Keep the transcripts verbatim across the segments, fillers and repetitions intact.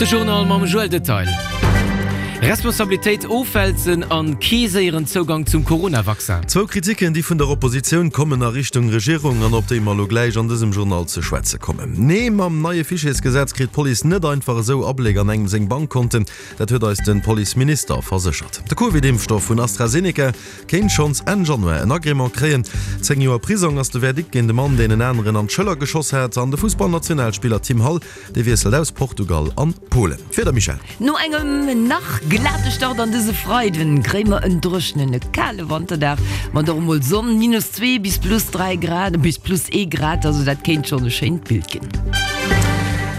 De Journal mam Joël Detail. Responsabilitéit ofwälzen an kee séieren Zougang zum Corona-Vaccin. Zwou Kritiken, déi vun der Oppositioun kommen a Richtung Regierung an op déi mer elo gläich an dësem Journal ze schwätze kommen. Nee, mam neie Fichiersgesetz kritt d'Police net einfach esou Abléck an engem seng Bankkonten. Dat huet eis de Policeminister verséchert. De Covid-Impfstoff vun AstraZeneca kéint schonns Enn Januar en Agrément kréien. Zéng Joer Prisong ass de Verdikt géint de Mann, deen en aneren an d'Schëller geschoss hat. An de Fussballnationalspiller Tim Hall, dee wiesselt aus Portugal an Polen. D'Wieder, Michèle? No engem nach glate Start an dëse Freiden kréie mer en dréchenen, e kale Wanterdag mat och emol Sonn, minus zwee bis plus dräi Grad, bis plus ee Grad, also dat kéint schonn e schéint Bild ginn.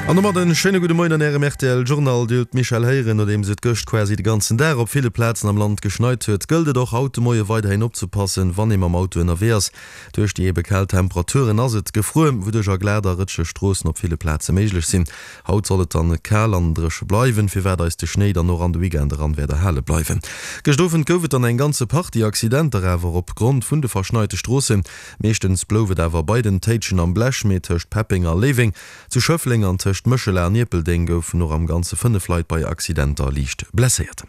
An domat en schéine gudde Moien an Ärem rtl Journal. Dir hutt d'Michèle héieren, nodeems et gëscht quasi de ganzen Dag op ville Plazen am Land geschneit huet, gëllt et och haut de Moie weiderhin opzepassen, wann ee mam Auto ënnerwee ass. Duerch déi ebe kal Temperaturen ass et gefruer, wouduerch a glat a rëtscheg Stroossen op ville Plaze méiglech sinn. Haut soll et dann kal an dréche bleiwen, firwat eis de Schnéi dann och an de Weekend eran wäert erhale bleiwen. Gëscht Owend gouf et dann eng ganze Partie Accidenter, awer opgrond vun de verschneite Stroossen. Meeschtens blouf et awer bei den Téitschen am Blech, mee tëscht Peppeng a Léiweng, zu Schëffleng an tëscht Méchela an Ierpeldeng goufen och am Ganze fënnef Leit bei Accidenter liicht blesséiert.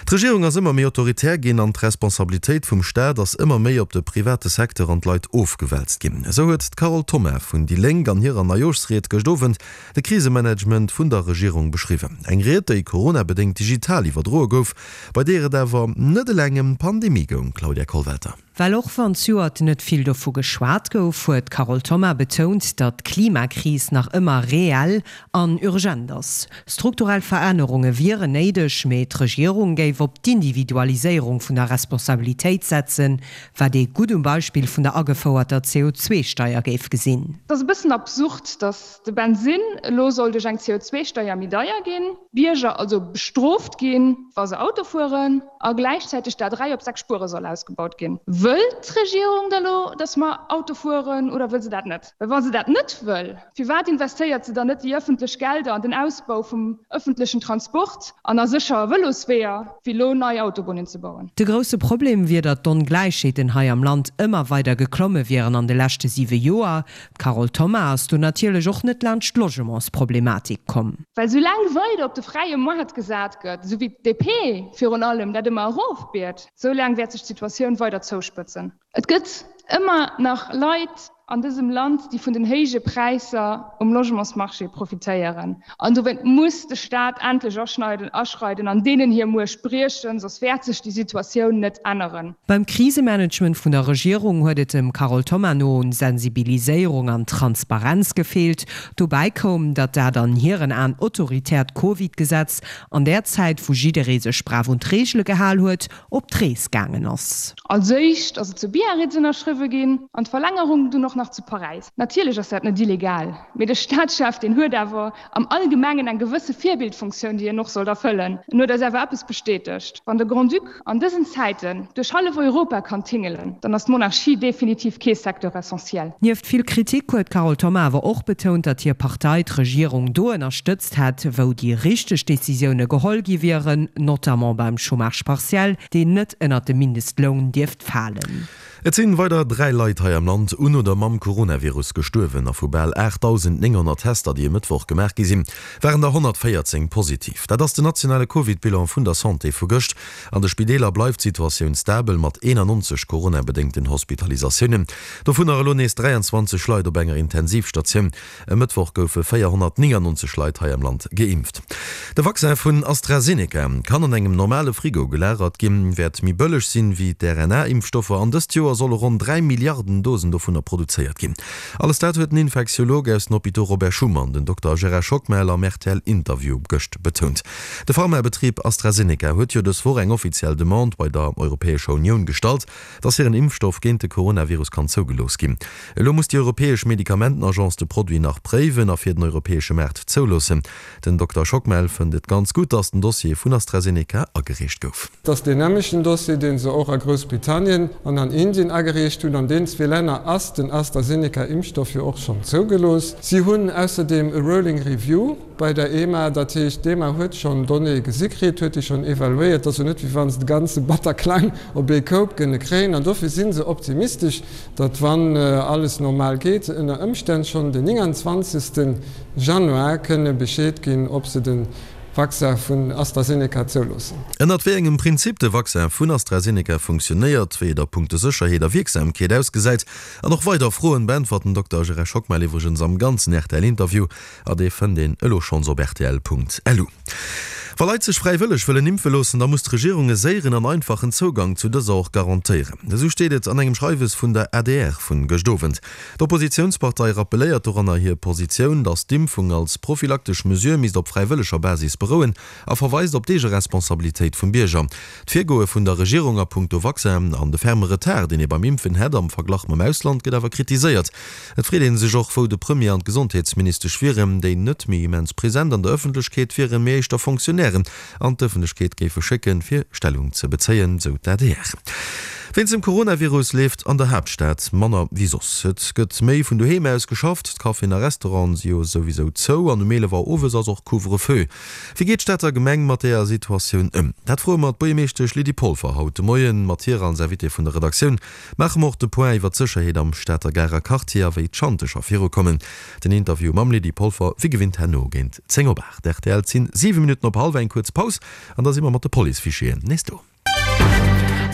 D'Regierung ass ëmmer méi autoritär ginn an d'Responsabilitéit vum Staat ass ëmmer méi op de private Secteur an d'Leit ofgewälzt ginn. Esou huet d'Carole Thoma vun déi Lénk an hirer Neijooschried gëscht Owend de Krisemanagement vun der Regierung beschriwwen. Eng Ried, déi coronabedéngt digital iwwerdroe gouf, bei deer et awer net eleng ëm d'Pandemie goung. Claudia Kollwelter. Well och wann zejoert net vill dovu geschwat gouf, huet d'Carole Thoma betount, datt d'Klimakris nach ëmmer reell an urgent ass. Strukturell Verännerunge wieren néideg, mee d'Regierung géif op d'Individualiséierung vun der Responsabilitéit setzen, wat ee gutt um Beispill vun der agefouerter C O zwei Steier géif gesinn. Et ass e bëssen absurd, datt de Bensinn elo soll duerch eng C O zwei Steier méi deier ginn, d'Bierger also bestrooft ginn, wa se Auto fueren, a gläichzäiteg d'A dräi op sechs Spuere soll ausgebaut ginn. Wëll d'Regierung da lo, datt mer Auto fueren, oder wëll se dat net? Well wa se dat net wëll, firwat investéiert se dann net déi ëffentlech Gelder an den Ausbau vum ëffentlechen Transport an a sécher Vëlosweeër, wéi lo nei Autobunnen ze bauen? De grousse Problem wier, datt d'Ongläichheeten hei am Land ëmmer weider geklomme wieren an de leschte siwe Joer. D'Carole Thoma ass do natierlech och net laanscht d'Logementsproblematik komm. Well soulaang weider op de fräie Moart gesat gëtt, esou wéi d'D P virun allem dat ëmmer erofbiet, soulaang wäert sech d'Situatioun weider zouspëtzen. Et gëtt ëmmer nach Leit an dësem Land, déi vun den héije Präisser um Logementsmarché profitéieren. An dowéint muss de Staat endlech aschneiden, aschreiden an deenen hir Muecht briechen, soss wäert sech déi Situatioun net änneren. Beim Krisemanagement vun der Regierung huet et dem Carole Thoma no un Sensibiliséierung an Transparenz gefeelt. Dobäi koum, datt dat an hiren Aen autoritäert Covid-Gesetz an där Zäit, wou jidderee sech brav un d'Reegele gehal huet, op d'Rees gaangen ass. Als éischt ass et zu Biarritz ënnerschriwwe ginn an d'Verlängerung dunn och nach zu Paräis. Natierlech ass dat net illegal, mee de Staatschef, deen huet awer am Allgemengen eng gewësse Virbildfunktioun, déi en och sollt erfëllen. En huet eis awer eppes bestätegt, Wann de Grand-Duc an dësen Zäiten duerch hallef Europa kann tingelen, dann ass d'Monarchie definitiv kee Secteur essentiel. Nieft vill Kritik huet d'Carole Thoma awer och betount, datt hir Partei d'Regierung do ënnerstëtzt hätt, wou déi richteg Decisioune geholl gi wieren, notamment beim Chômage partiel, deen net ënnert de Mindestloun dierft falen. Et sinn weider dräi Leit hei am Land un oder mam Coronavirus gestuerwen a vu bal aachtdausendnénghonnert Tester, déi e Mëttwoch gemaach gi sinn, waren der honnertvéierzéng positiv. Dat ass den nationale Covid-Bilan vun der Santé vu gëscht. An de Spideeler bleift d'Situatioun stabel mat eenannonzeg coronabedéngten Hospitalisatiounen. Dovunner elo nees dräianzwanzeg Leit op enger Intensivstatioun. E Mëttwoch goufe véierhonnertnéngannonzeg Leit hei am Land geimpft. De Vaccin vun AstraZeneca kann an engem normale Frigo gelagert ginn, wäert méi bëlleg sinn wéi d'R N A-Impfstoffer an dëst Joer solle ronn dräi Milliarden Dosen dovunner produzéiert ginn. Alles dat huet den Infektiolog aus den Hôpitaux Robert Schuman, den Dokter Gérard Schockmel, am R T L-Interview gëscht betount. De Pharmabetrib AstraZeneca huet jo dës Woch eng offiziell Demande bei der Europäescher Unioun gestallt, dass hiren Impfstoff géint de Coronavirus kann zougelooss ginn. Elo muss déi Europäesch Medikamentenagence de Produit nach préiwen a fir den europäesche Maart zouloossen. Den Dokter Schockmel fënnt et ganz gutt, dass den Dossier vun AstraZeneca agereecht gouf. Et ass deen nämlechten Dossier, deen se och a Groussbritannien an an Indien Indien agereecht hunn. An deenen zwee Länner ass den AstraZeneca-Impfstoff jo och schonn zougelooss. Si hunn ausserdeem e Rolling Review bei der EMA, dat heescht, d'EMA huet schonn Donnéeë gesi kritt, huet déi schonn evaluéiert. Et ass jo net, wéi wa se de ganze Bataclan op ee Koup kënne kréien. An dofir si se optimistesch, datt, wann alles normal geet, se ënner Ëmstänn schonn den nénganzwanzegste Januar kënne Bescheed ginn, ob se de Vaccin vun AstraZeneca zouloossen. Ënnert wéi engem Prinzip de Vaccin vun AstraZeneca funktionéiert, wéi et a punkto Sécherheet a Wierksamkeet ausgesäit an och weider Froen beäntwert den Dokter Gérard Schockmel iwwregens am ganzen R T L-Interview a dee fënnt een elo schonns op rtl Punkt lu. Wa Leit sech fräiwëlleg wëllen impfe loossen, da muss d'Regierung e séieren an einfachen Zougang zu dëser och garantéieren. Esou steet et an engem Schreiwes vun der A D R vun gëscht Owend. D'Oppositiounspartei rappelléiert doranner hir Positioun, datt d'Impfung als prophylaktesch Mesure misst op fräiwëlleger Basis berouen a verweist op d'Eegeresponsabilitéit vum Bierger. D'Virgoe vun der Regierung a punkto Vaccin an de ferme Retard, deen ee beim Impfen hätt am Verglach mam Ausland, gëtt awer kritiséiert. Et freet ee sech och, wou de Premier an d'Gesondheetsministesch wieren, déi net méi immens present an der Ëffentlechkeet wieren, mee éischter Fonctionnairen an d'Ëffentlechkeet géife schécken, fir Stellung ze bezéien, sou d'A D R. Wéinst dem Coronavirus leeft an der Haaptstad manner wéi soss. Et gëtt méi vun doheem aus geschafft, d'Caféen a Restauranten si jo souwisou zou an um eelef Auer owes ass och Couvre-feu. Wéi geet d'Stater Gemeng mat deeër Situatioun ëm? Dat froe mer d'Buergermeeschtesch Lydie Polfer haut de Moien. Mat hir als Invitée vun der Redaktioun maache mer och de Point iwwer d'Sécherheet am Stater Garer Quartier a wéi d'Schanteger virukommen. Den Interview mam Lydie Polfer wéi gewinnt herno géint zéng op aacht. R T L sinn siwe Minutten op hallwer, eng kuerz Paus an da si mer mat de Police-Fichieren nees do.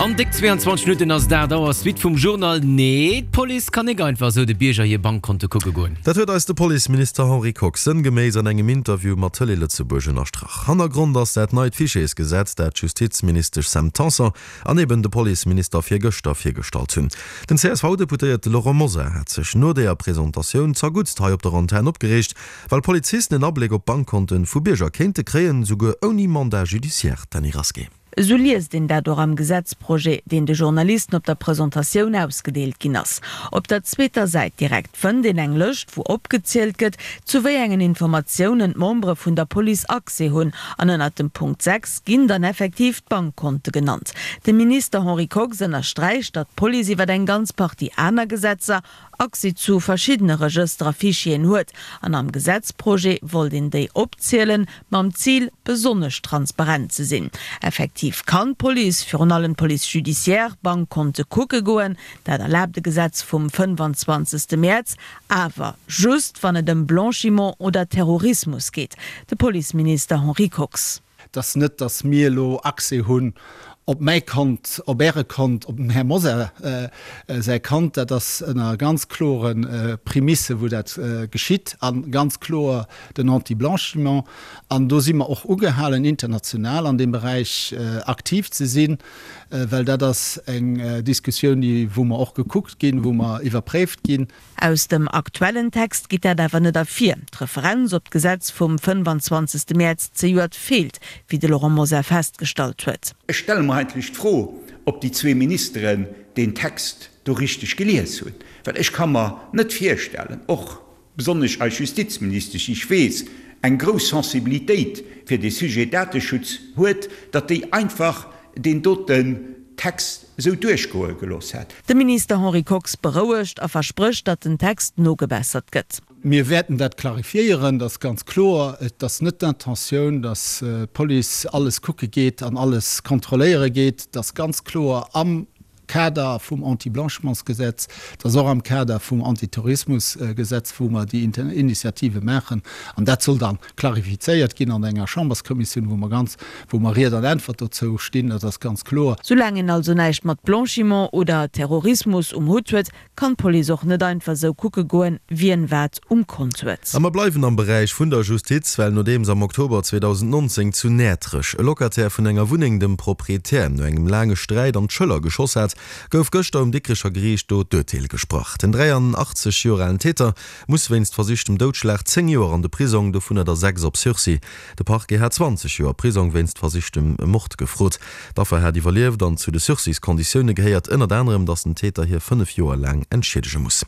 An déck zwee an zwanzeg Minutten ass dat Auer. Suite vum Journal. Nee, d'Police kann net einfach esou de Bierger hir Bankkonte kucke goen. Dat huet eis de Policeminister Henri Kox sënngeméiss an engem Interview mat Tëlee Lëtzebuerg ënnerstrach. Hannergrond ass dat neit Fichiersgesetz, dat d'Justizministesch Sam Tanson an eben de Policeminister virgëschter virgestallt hunn. Den C S V-Deputéierte Laurent Mosar hat sech no der Presentatioun zerguttst hei op der Antenn opgereegt, well Polizisten en Abléck op Bankkonten vu Bierger kéinte kréien, souguer ouni Mandat judiciaire. Dany Rasqué. Esou liest een dat och am Gesetzprojet, deen de Journalisten op der Presentatioun ausgedeelt ginn ass. Op der zweeter Säit direkt fënnt een eng Lëscht, wou opgezielt gëtt, zu wéi engen Informatiounen d'Membere vun der Police Accès hunn. An ënnert dem Punkt sechs ginn dann effektiv d'Bankkonte genannt. De Minister Henri Kox ënnersträicht, datt d'Police iwwer eng ganz Partie aner Gesetzer Accès zu verschiddene Regëster a Fichieren huet. An am Gesetzprojet wollt een déi opzielen, mam Zil besonnesch transparent ze sinn. Effektiv kann d'Police, virun allem d'Police judiciaire, Bankkonte kucke goen, dat erlaabt de Gesetz vum fënnfanzwanzegste Mäerz, awer just wann et ëm Blanchiment oder Terrorismus geet. De Policeminister Henri Kox. Dass net, dass mir elo Accès hunn op mäi Kont, op Äre Kont, op dem Här Mosar äh, äh, säi Kont, dat ass ënner ganz kloren äh, Prämisse, wou dat äh, geschitt, an ganz kloer den Anti-Blanchiment. An do si mer och ugehalen, international an deem Beräich äh, aktiv ze sinn, äh, well dat ass eng äh, Diskussioun, déi, wou mer och gekuckt ginn, wou mer iwwerpréift ginn. Aus dem aktuellen Text geet dat awer net ervir. D'Referenz op d'Gesetz vum fënnfanzwanzegste Mäerz zejoert feelt, wéi de Laurent Mosar festgestallt huet. Ech stelle mer eigentlech d'Fro, ob déi zwee Ministeren den Text do richteg gelies hunn. Well ech ka mer net virstellen, och besonnesch als Justizministesch, ech weess, eng grouss Sensibilitéit fir de Sujet Dateschutz huet, datt déi einfach deen doten Text esou duerchgoe gelooss hätt. De Minister Henri Kox berouegt a versprécht, datt den Text nogebessert gëtt. Mir wäerten dat klarifiéieren, dat ass ganz kloer. Et ass net d'Intentioun, datt d'Police alles kucke geet an alles kontrolléiere geet. Dat ass ganz kloer am Kader vum Anti-Blanchimentsgesetz, dat ass och am Kader vum Antiterrorismusgesetz, wou mer déi Initiative maachen. An dat soll dann klarifizéiert ginn an enger Chamberskommissioun, wou mer ganz, wou mer Ried an Äntwert dozou stinn, dat ass ganz kloer. Soulaang een also näischt mat Blanchiment oder Terrorismus um Hutt huet, kann d'Police och net einfach sou kucke goen, wien wat um Kont huet. A mer bleiwen am Beräich vun der Justiz, well nodeems am Oktober zweedausendnonzéng zu Näertrech e Locataire vun enger Wunneng dem Proprietär no engem laange Sträit an d'Schëller geschoss hat, gouf gëschter um Dikrecher Geriicht do d'Urteel gesprach. Den dräianachtzeg Joer alen Täter muss wéinst versichtem Doudschlag zéng Joer an de Prisong, dovunner der sechs op Sursis. De Parquet hat zwanzeg Joer Prisong wéinst versichtem Mord gefrot. D'Affer hat iwwerlieft an zu de Sursis-Konditioune gehéiert ënnert anerem, datt den Täter hie fënnef Joer laang entschiedege muss.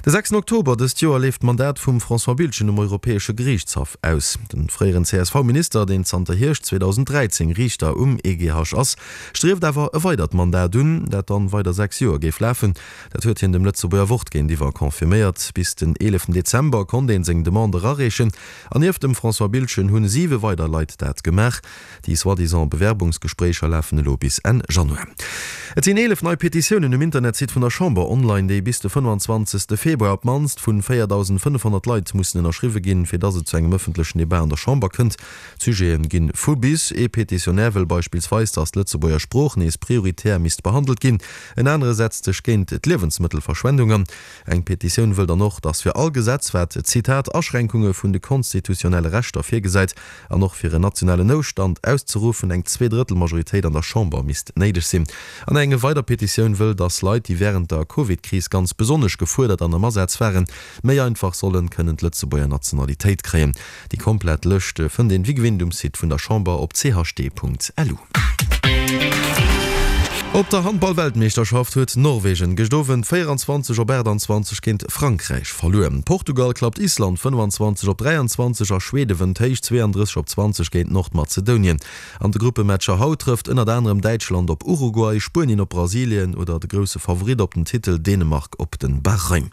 De sechsten Oktober dëst Joer leeft d'Mandat vum François Biltgen um Europäesche Geriichtshaff aus. De fréieren C S V-Minister, deen zanter Hierscht zweedausend dräizéng Riichter um E G H ass, strieft awer e weidert Mandat un. Dat wat dann weider sechs Joer géif lafen. Dat huet hien dem Lëtzebuerger Wort géintiwwer confirméiert. Bis den eeleften Dezember konnt een seng Demande erareechen an nieft dem François Biltgen hunn siwe weider Leit dat gemaach. Déi soi-disant Bewerbungsgespréicher lafen elo bis Enn Januar. Et sinn eelef nei Petitiounen um Internetsite vun der Chamber online, déi bis de fënnefanzwanzegste Februar op d'mannst vu véierdausendfënnefhonnert Leit mussen ënnerschriwwe ginn, fir dass et zu engem ëffentlechen Debat an der Chamber kënnt. D'Sujete ginn vu bis. Ee Petitionär wëll beispillsweis, dass d'Lëtzebuerger Sprooch nees prioritär misst behandelt ginn. En anere setzt sech géint d'Liewensmëttelverschwendung an. Eng Petitioun wëll dann och, dass fir all Gesetz, wat, Zitat, Aschränkunge vun de konstitutionelle Rechter virgesäit an och fir en nationalen Noutstand auszeruffen, eng Zweedrëttelmajoritéit an der Chamber misst néideg sinn. An eng weider Petitioun wëll, dass Leit, déi wärend der Covid-Kris ganz besonnesch gefuerdert an am Asaz waren, méi einfach sollen kënnen d'Lëtzebuerger Nationalitéit kréien. Déi komplett Lëscht fënnt een wéi gewinnt um Site vun der Chamber op chd.lu. Op der Handball-Weltmeeschterschaft huet Norwegen gëscht Owend véieranzwanzeg op aachtanzwanzeg géint Frankräich verluer. Portugal klappt Island fënnefanzwanzeg op dräianzwanzeg a Schwede wënnt héich zweeandrësseg op zwanzeg géint Nordmazedonien. An de Gruppematcher haut trëfft ënnert anerem Däitschland op Uruguay, Spuenien op Brasilien oder de grousse Favorit op den Titel Dänemark op den Bahrain.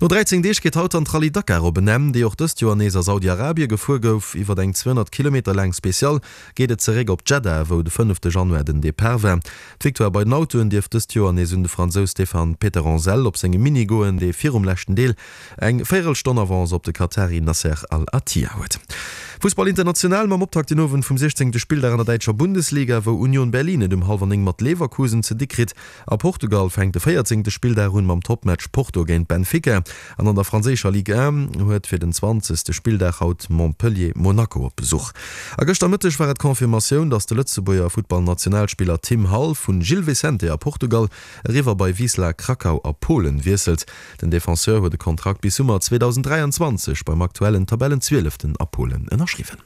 No dräizéng Deeg geet haut dann d'Rallye Dakar op en Enn, déi och dëst Joer nees a Saudi-Arabie gefuer gouf. Iwwer eng zweehonnert Kilometer laang Special geet et zeréck op Djeddah, wou de fënnefte Januar den Depart war. D'Victoire bei den Autoen dierft dëst Joer nees un de Fransous Stéphane Peterhansel op sengem Mini goen, dee virum leschten Deel eng Véierelstonn Avance op de Katari Nasser Al-Attiyah huet. Fussball international mam Optakt den Owend vum siechzéngte Spilldag an der däitscher Bundesliga, wou Union Berlin et um hallwer néng mat Leverkusen ze di kritt. A Portugal fänkt de véierzéngte Spilldag un mam Toppmatch Porto géint Benfica. An an der franséischer Ligue un huet fir den zwanzegste Spilldag haut Montpellier Monaco op Besuch. A gëschter Mëtteg war et d'Confirmatioun, datt de Lëtzebuerger Futtballnationalspiller Tim Hall vu Gil Vicente a Portugal eriwwer bei Wisla Krakau a Polen wiesselt. Den Defenseur huet e Kontrakt bis Summer zweedausenddräianzwanzeg beim aktuellen Tabellenzwieleften a Polen ënnerschriwwen.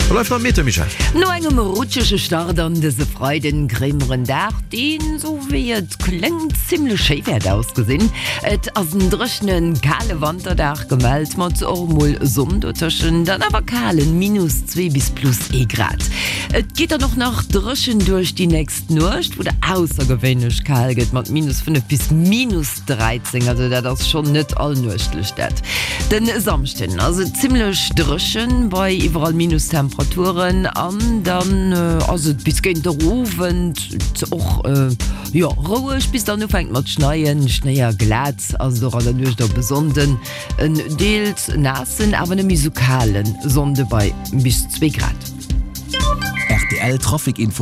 Da bleift nach d'Meteo, Michèle. No engem rutschege Start an dëse Freiden kréie mer en Dag, deen, sou wéi et kléngt, zimmlech schéi wäert ausgesinn. Et ass en dréchenen, kale Wanterdag gemellt, mat och mol Sonn dotëschent, dann awer kalen minus zwee bis plus ee Grad. Et geet dann och nach dréchen duerch déi nächst Nuecht, wou et aussergewéinlech kal gëtt mat minus fënnef bis minus dräizéng, also dat ass schonn net allnuechtlech dat. Den Samschden ass et zimmlech dréchen bei iwwerall Minustemperaturen an dann ass et bis géint der Owend och jo roueg bis dann ufänkt mat schneien. Schnéi a glat ass et och an der Nuecht op e Sonnden, en deels naassen awer net méi sou kale Sonnde bei bis zwee Grad. Rtl Trafic Info.